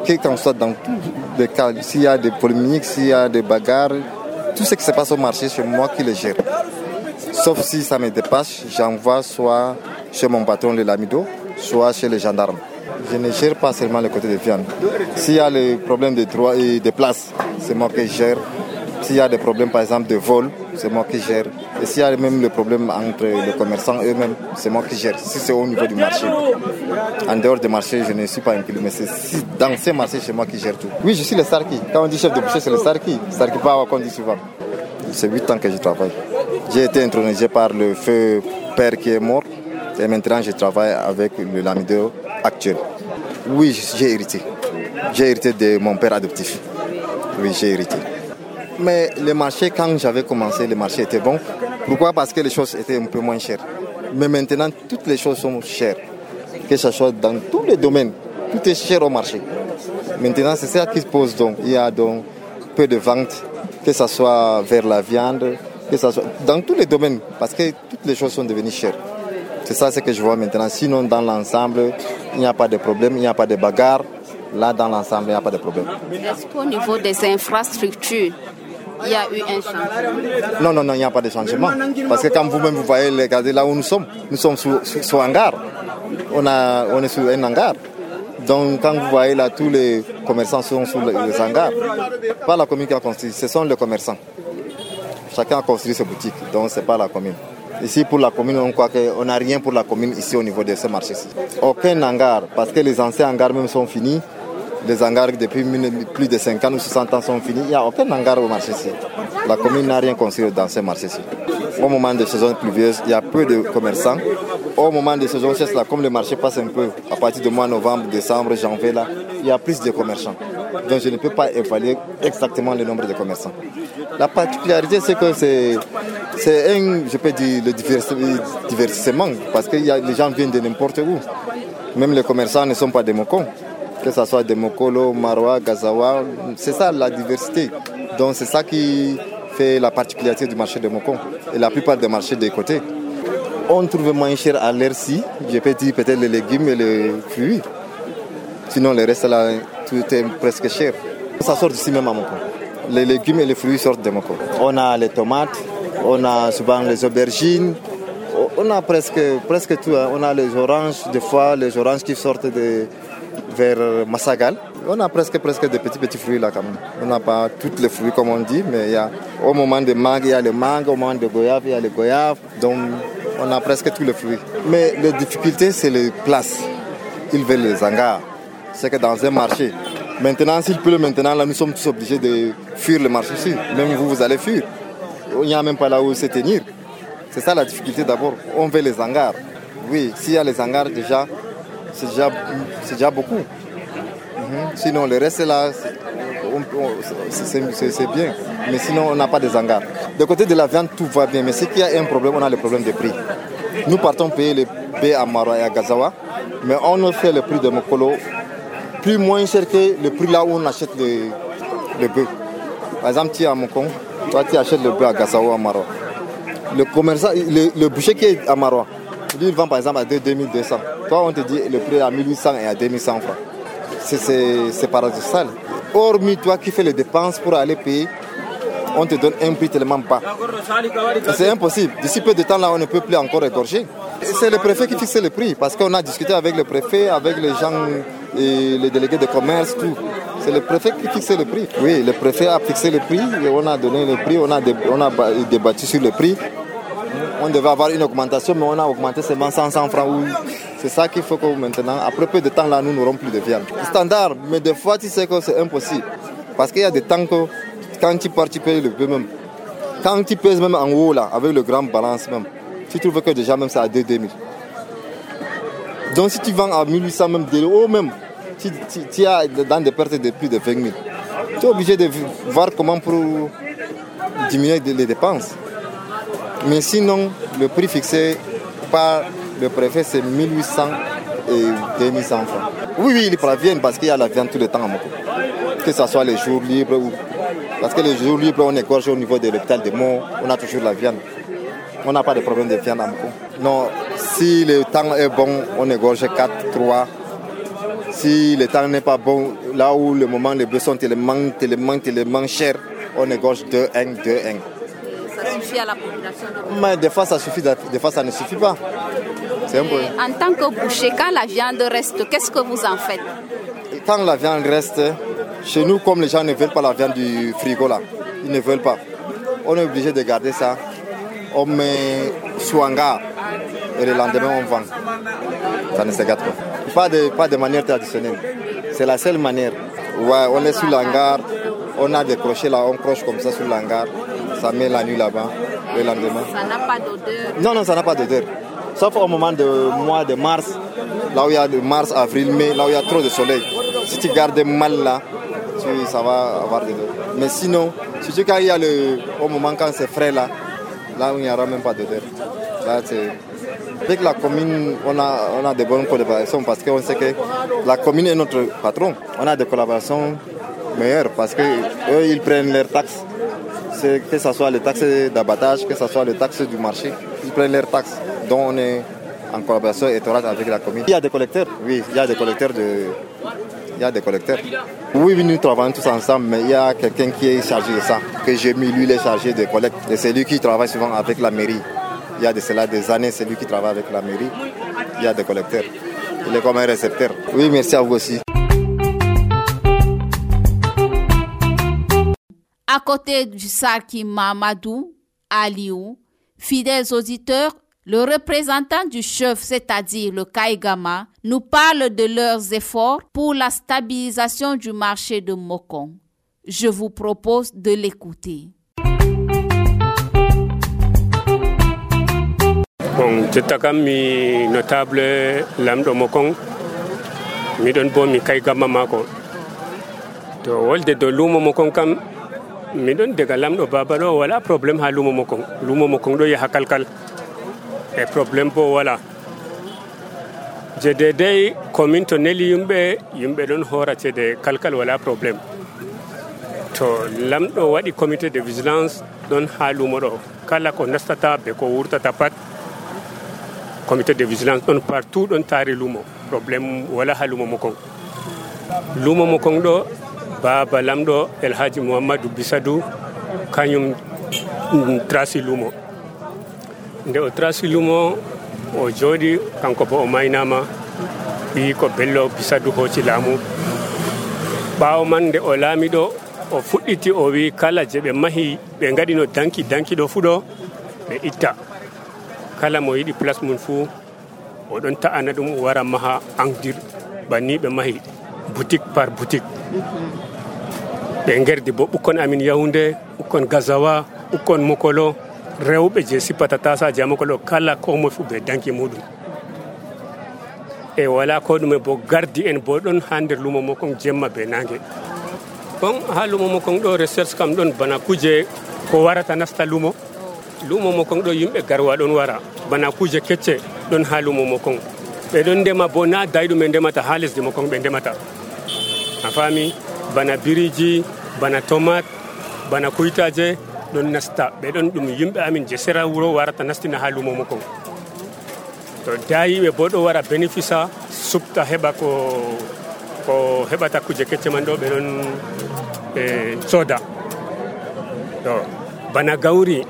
quel qu'en soit dans tous les cas, s'il y a des polémiques, s'il y a des bagarres, tout ce qui se passe au marché, c'est moi qui le gère. Sauf si ça me dépasse, j'envoie soit chez mon patron le lamido, soit chez les gendarmes. Je ne gère pas seulement le côté de viande. S'il y a le problème de droit et de place, c'est moi qui gère. S'il y a des problèmes par exemple de vol, c'est moi qui gère. Et s'il y a même le problème entre les commerçants eux-mêmes, c'est moi qui gère. Si c'est au niveau du marché. En dehors du marché, je ne suis pas inclus, mais c'est dans ces marchés, c'est moi qui gère tout. Oui, je suis le Sarki. Quand on dit chef de boucher, c'est le Sarki. Sarki Bawa qu'on dit souvent. C'est 8 ans que je travaille. J'ai été intronisé par le feu père qui est mort. Et maintenant, je travaille avec le lamido actuel. Oui, j'ai hérité. J'ai hérité de mon père adoptif. Oui, j'ai hérité. Mais le marché, quand j'avais commencé, le marché était bon. Pourquoi? Parce que les choses étaient un peu moins chères. Mais maintenant, toutes les choses sont chères. Que ce soit dans tous les domaines, tout est cher au marché. Maintenant, c'est ça qui se pose donc. Il y a donc peu de ventes, que ce soit vers la viande, que ce soit dans tous les domaines, parce que toutes les choses sont devenues chères. C'est ça ce que je vois maintenant. Sinon, dans l'ensemble, il n'y a pas de problème, il n'y a pas de bagarre. Là, dans l'ensemble, il n'y a pas de problème. Est-ce qu'au niveau des infrastructures, il y a eu un changement? Non, il n'y a pas de changement. Parce que quand vous-même vous voyez, regardez là où nous sommes sous hangar. On est sur un hangar. Donc quand vous voyez là, tous les commerçants sont sous les hangars. Pas la commune qui a construit, ce sont les commerçants. Chacun a construit ses boutiques, donc ce n'est pas la commune. Ici, pour la commune, on croit qu'on n'a rien pour la commune ici au niveau de ce marché-ci. Aucun hangar, parce que les anciens hangars même sont finis. Les hangars depuis plus de 50 ou 60 ans sont finis. Il n'y a aucun hangar au marché-ci. La commune n'a rien construit dans ce marché-ci. Au moment des saisons pluvieuses, il y a peu de commerçants. Au moment des saisons sèches, là, comme le marché passe un peu, à partir du mois de novembre, décembre, janvier, là, il y a plus de commerçants. Donc je ne peux pas évaluer exactement le nombre de commerçants. La particularité, c'est que c'est je peux dire, le divertissement, parce que les gens viennent de n'importe où. Même les commerçants ne sont pas des Mokong, que ce soit des Mokolo, Marois, Gazawa, c'est ça la diversité. Donc c'est ça qui fait la particularité du marché de Mokong et la plupart des marchés des côtés. On trouve moins cher à l'air-ci, je peux dire peut-être les légumes et les fruits. Sinon le reste là, tout est presque cher. Ça sort d'ici même à Mokong. Les légumes et les fruits sortent de Mokong. On a les tomates, on a souvent les aubergines, on a presque tout. Hein. On a les oranges, des fois les oranges qui sortent vers Massagal. On a presque des petits fruits là quand même. On n'a pas tous les fruits comme on dit, mais au moment des mangues, il y a les mangues, au moment des goyaves, il y a les goyaves. Donc on a presque tous les fruits. Mais la difficulté, c'est les places. Ils veulent les hangars. C'est que dans un marché, maintenant, s'il pleut maintenant, là, nous sommes tous obligés de fuir le marché ici. Même vous allez fuir. Il n'y a même pas là où se tenir. C'est ça la difficulté d'abord. On veut les hangars. Oui, s'il y a les hangars déjà, c'est déjà beaucoup. Sinon, le reste là, c'est bien. Mais sinon, on n'a pas des hangars. De côté de la viande, tout va bien. Mais ce qu'il y a un problème, on a le problème de prix. Nous partons payer les baies à Marois et à Gazawa, mais on fait le prix de Mokolo plus moins cher que le prix là où on achète le bœuf. Par exemple, tu es à Mokong, toi tu achètes le bœuf à Gazawa ou à Marois. Le commerçant, le boucher qui est à Marois, il vend par exemple à 2200. Toi, on te dit le prix à 1800 et à 2100 francs. C'est paradoxal. Hormis toi qui fais les dépenses pour aller payer, on te donne un prix tellement bas. C'est impossible. D'ici peu de temps, là, on ne peut plus encore égorger. C'est le préfet qui fixe le prix, parce qu'on a discuté avec le préfet, avec les gens, et les délégués de commerce, tout. C'est le préfet qui fixe le prix. Oui, le préfet a fixé le prix, et on a donné le prix, on a débattu sur le prix. On devait avoir une augmentation, mais on a augmenté seulement 100 francs. C'est ça qu'il faut que maintenant, après peu de temps, là, nous n'aurons plus de viande. Standard, mais des fois, tu sais que c'est impossible. Parce qu'il y a des temps que, quand tu pars, tu payes le peu même. Quand tu pèses même en haut, là, avec le grand balance même, tu trouves que déjà même c'est à 2000. Donc si tu vends à 1800 même, de haut même, tu as dans des pertes de plus de 20 000. Tu es obligé de voir comment pour diminuer les dépenses. Mais sinon, le prix fixé par le préfet, c'est 1800 et 2100 francs. Oui, ils préviennent parce qu'il y a la viande tout le temps à Moko. Que ce soit les jours libres ou... Parce que les jours libres, on égorge au niveau de l'hôpital de Mont, on a toujours la viande. On n'a pas de problème de viande à Moko. Non, si le temps est bon, on égorge 4, 3. Si le temps n'est pas bon, là où le moment les bœufs sont tellement chers, on égorge 2, 1, 2, 1. Ça suffit à la population de... Mais des fois ça suffit, des fois ça ne suffit pas. C'est un peu... En tant que boucher, quand la viande reste, qu'est-ce que vous en faites? Quand la viande reste, chez nous, comme les gens ne veulent pas la viande du frigo là, ils ne veulent pas. On est obligé de garder ça. On met sous hangar et le lendemain on vend. Ça ne se gâte pas. Pas de manière traditionnelle. C'est la seule manière. Ouais, on est sous l'hangar, on a des crochets là, on croche comme ça sous l'hangar. Ça met la nuit là-bas, le lendemain. Ça n'a pas d'odeur? Non, ça n'a pas d'odeur. Sauf au moment du mois de mars, là où il y a de mars, avril, mai, là où il y a trop de soleil. Si tu gardes mal là, ça va avoir de l'odeur. Mais sinon, surtout quand il y a au moment quand c'est frais là où il n'y aura même pas d'odeur. Là, avec la commune, on a de bonnes collaborations parce qu'on sait que la commune est notre patron. On a des collaborations meilleures parce qu'eux, ils prennent leurs taxes. Que ce soit les taxes d'abattage, que ce soit les taxes du marché, ils prennent leurs taxes. Donc on est en collaboration étroite avec la commune. Il y a des collecteurs, oui, il y a des collecteurs il y a des collecteurs. Oui, nous travaillons tous ensemble, mais il y a quelqu'un qui est chargé de ça, que j'ai mis, lui, il est chargé de collecte. Et c'est lui qui travaille souvent avec la mairie. Il y a de cela des années, c'est lui qui travaille avec la mairie. Il y a des collecteurs. Il est comme un récepteur. Oui, merci à vous aussi. À côté du Sarki Mamadou Aliou, fidèles auditeurs, le représentant du chef, c'est-à-dire le Kaigama, nous parle de leurs efforts pour la stabilisation du marché de Mokong. Je vous propose de l'écouter. Bon, je mi notable lamdo Mokong, mi don bo mi Kaigama mako. To wolde do lumo Mokong kam mi don daga lamdo baba do wala problem ha lumo Mokong. Lumo Mokong do ya hakalkal. E problem bo wala. Je dedei commune to neli yumbe don hora de kalkal wala problem. To lamdo wadi comité de vigilance don ha lumo do kala ko nastata be ko wurtata pat comité de vigilance don partout don tari lumo problem wala ha lumo Mokong. Lumo Mokong do baba lamdo El Hadji Muhammadu Bisadou kanyum trasi lumo. Nde o trasi lumo o jodi kanko bo o maynama wi ko bello Bisadou hoci laamu. Ɓaawo man nde o laami ɗo o fuɗɗiti o wi kala je ɓe mahi ɓe ngaɗino danki ɗo fu ɗo ɓe itta kala mo yiɗi place mum fuu o ɗon ta'ana ɗum wara maha endir banni ɓe mahi boutique par boutique. Ɓe ngerdi bo ɓukkon amin Yaoundé, ɓukkon Gazawa, ɓukkon Mokolo, rewɓe je sippata tasaji Mokolo kala ko moy fu ɓe danki muɗum. E wala ko ɗume bo gardi en bo ɗon ha nder lumo Mokong jemma be nangue. Bon ha lumo Mokong ɗo recherche kam ɗon bana kuje ko warata nasta lumo. Lumo Mokong ɗo yimɓe garwa ɗon wara bana kuje kecce ɗon ha lumo Mokong. Ɓe ɗon ndema bo na dayɗum ɓe ndemata ha lesdi Mokong ɓe ndemata. A faami bana biriji, bana tomate, bana kuytaje ɗon nasta. Ɓe ɗon ɗum yimɓe amin je sera wuro warata nastina ha lumo Mokong. To dayiɓe bo ɗo wara bénéfice subta heɓa ko heɓata kuje kecce man ɗo ɓe ɗon soda. To bana gawri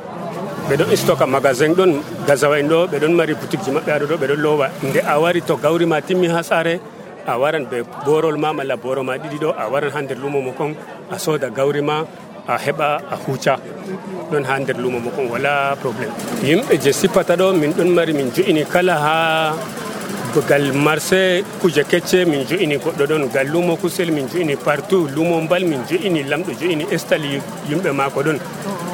ɓe ɗon stocka magasin ɗon Gazawa en ɗo ɓe ɗon mari boutique ji maɓɓe aɗo ɗo ɓe ɗon lowa. Nde a wari to gawri ma timmi ha sare a waran be borol ma malla boro ma ɗiɗi ɗo a waran ha nder lumo Mokong a soda gawri ma a heɓa a huuca ɗon ha nder lumo Mokong wala probléme. Yimɓe je sippata ɗo min ɗon mari min jo'ini kala ha gal marché kuje kecce min jo'ini goɗɗo ɗon gal lumo kusel min jo'ini partout lumo mbal min jo'ini lamɗo jo'ini estali yimɓe mako ɗon.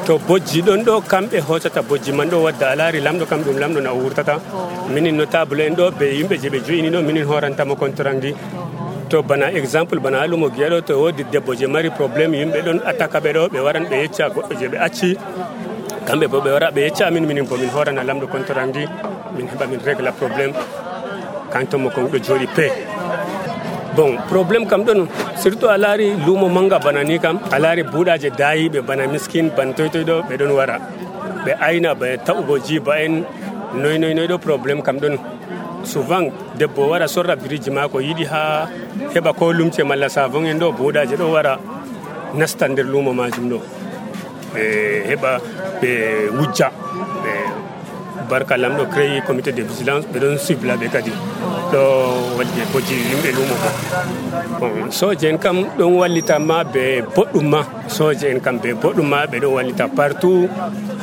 To bojji ɗon ɗo kamɓe hocata bojji man ɗo wadda a laari lamɗo kam ɗum lamɗo na o wurtata. Minin notable en ɗo ɓe yimɓe je ɓe jo'ini ɗo minin horantamo contrandi. To bana exemple bana alumo giya ɗo to wodi debbo je mari probléme yimɓe ɗon attaque ɓe ɗo ɓe waran ɓe yecca goɗɗo je ɓe acci kamɓe bo ɓe wara ɓe yecca amin minin bo min horana lamɗo contrandi min heɓa min régla probléme kanto Mokong ɗo jooɗi pe. Bon probléme kam ɗon surtout a laari lumo manga bana ni kam a laari buuɗaje dayiɓe bana miskin ban toytoy ɗo ɓe ɗon wara ɓe ayna ɓe ta'ugo jiba en noy ɗo probléme kam ɗon. Souvent debbo wara sorra biriji mako yiɗi ha heɓa ko lumce malla savon en ɗo buuɗaje ɗo wara nasta nder lumo majum ɗo ɓe heɓa ɓe wujja ɓe barka lamɗo créé comité de vigilance ɓe ɗon suivre laɓe kadi ɗo wadde boji yimɓe lumo ko. Bon soje en kam ɗon wallita ma ɓe boɗɗum ma soje en kam ɓe boɗɗum ma ɓe ɗon wallita partout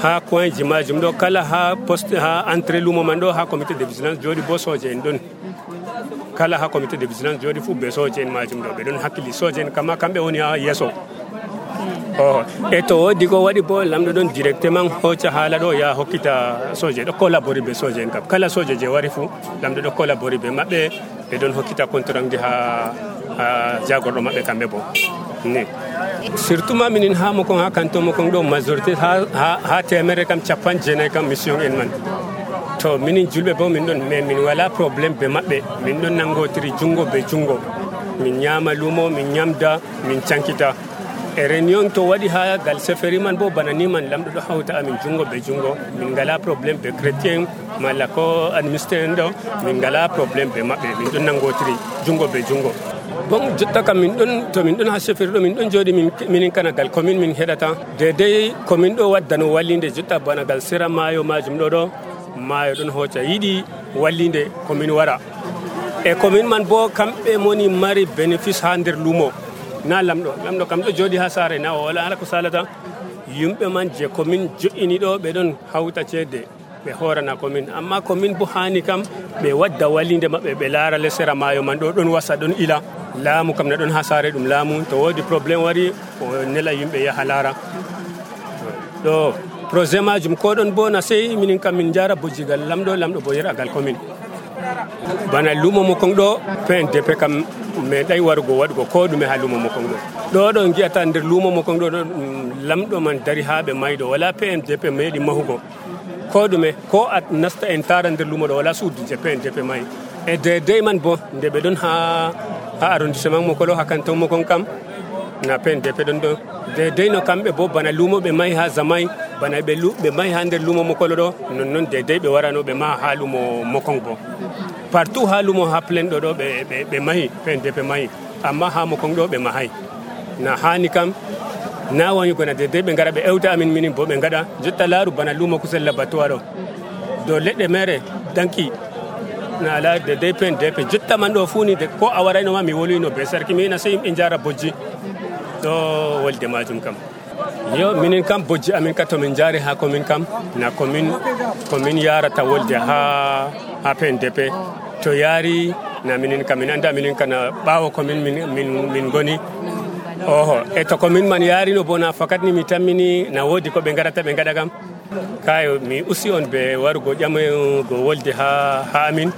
ha coin ji majum ɗo kala ha poste ha entrée lumo man ɗo ha comité de vigilance jooɗi bo soje en ɗon kala ha comité de vigilance jooɗi fu ɓe soje en majum ɗo ɓe ɗon hakkili soje en kama kamɓe woni ha yesso. E to wodi ko waɗi bo lamɗo ɗon directement hocca haala ɗo ya hokkita soje ɗo collabori be soje en kam kala soje je wari fu lamɗo ɗo collabori be maɓɓe ɓe ɗon hokkita contrandi ha jagorɗo maɓɓe kamɓe bo ni surtout ma minin ha Mokong ha canton Mokong ɗo majorité ha temere kam 50 kam mission en man to minin julɓe bo min ɗon mais min wala probléme be maɓɓe min ɗon nangotiri jungo be jungo min ñama lumo min ñamda min cankita e réunion to waɗi ha gal seferi man bo bana ni man lamɗo ɗo hawta amin jungo be jungo min ngala probléme be chrétien malla ko administré en ɗo min ngala probléme be maɓɓe min ɗon nangotiri jungo be jungo bon jotta kam min ɗon ha seferi ɗo min ɗon jooɗi minin kana gal commune min heɗata dedei commune ɗo waddano wallinde jotta bana gal sera maayo majum ɗo maayo ɗon hocca yiɗi wallinde commune wara e commune man bo kamɓe moni mari bénéfice ha nder lumo na lamɗo kam ɗo jooɗi ha saare na o wala hala ko salata yimɓe man je commune joƴini ɗo ɓe ɗon hawta ceede ɓe hoorana commune amma commune bo hani kam ɓe wadda wallinde maɓɓe ɓe laara le sera maayo man ɗo ɗon wasa ɗon ila laamu kam ne ɗon ha saare ɗum laamu to woodi probléme wari o nela yimɓe yaha laara ɗo projet majum ko ɗon bo na sey minin kam min jara bojjigal lamɗo bo yeragal commune bana lumo Mokong ɗo PNDP kam meeɗay warugo waɗugo ko ɗume ha lumo Mokong ɗo ɗo gi'ata nder lumo Mokong ɗo lamɗo man dari ha ɓe mayɗo wala PNDP meeɗi mahugo ko ɗume ko a nasta en tara nder lumo ɗo wala suudu je PNDP mayi e dedei man bo nde ɓe ɗon ha arrondissement Mokolo ha canton Mokong kam na PNDP ɗon ɗo dedei no kamɓe bo bana lumo ɓe mayi ha Zamay bana ɓe mayi ha nder lumo Mokolo ɗo nonnon dedei ɓe warano ɓe maha ha lumo Mokong bo partout ha lumo ha plein ɗo ɓe mahi PNDP mahi amma ha Mokong ɗo ɓe mahay na hani kam na woni gona dedei ɓe ngara ɓe ewta amin minin bo ɓe ngaɗa jotta laaru bana lumo kusel labbatuwa ɗo dow leɗɗe mere danki na ala dedei PNDP jotta man ɗo funi ko a warayno ma mi wolwino be sarki mina sey yimɓe jara bojji ɗo wolde majum kam yo minin kam bojji amin ka to min jaari ha commune kam na commune yarata wolde ha PNDP to yaari na minin kam min anda minin kana ɓaawo commune min goni oho e to commune man yaarino bona fakat ni mi tammini na woodi ko ɓe garata ɓe gaɗa kam kayo mi usi on ɓe warugo ƴamogo wolde ha amin.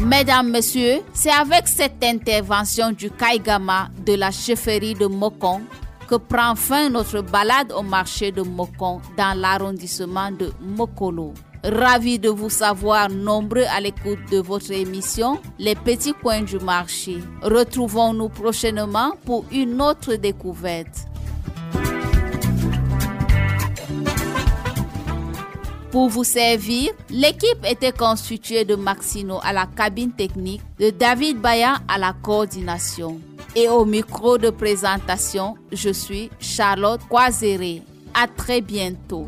Mesdames, Messieurs, c'est avec cette intervention du Kaigama de la chefferie de Mokong que prend fin notre balade au marché de Mokong dans l'arrondissement de Mokolo. Ravi de vous savoir nombreux à l'écoute de votre émission Les Petits Coins du Marché. Retrouvons-nous prochainement pour une autre découverte. Pour vous servir, l'équipe était constituée de Maxino à la cabine technique, de David Baya à la coordination. Et au micro de présentation, je suis Charlotte Coiséré. À très bientôt.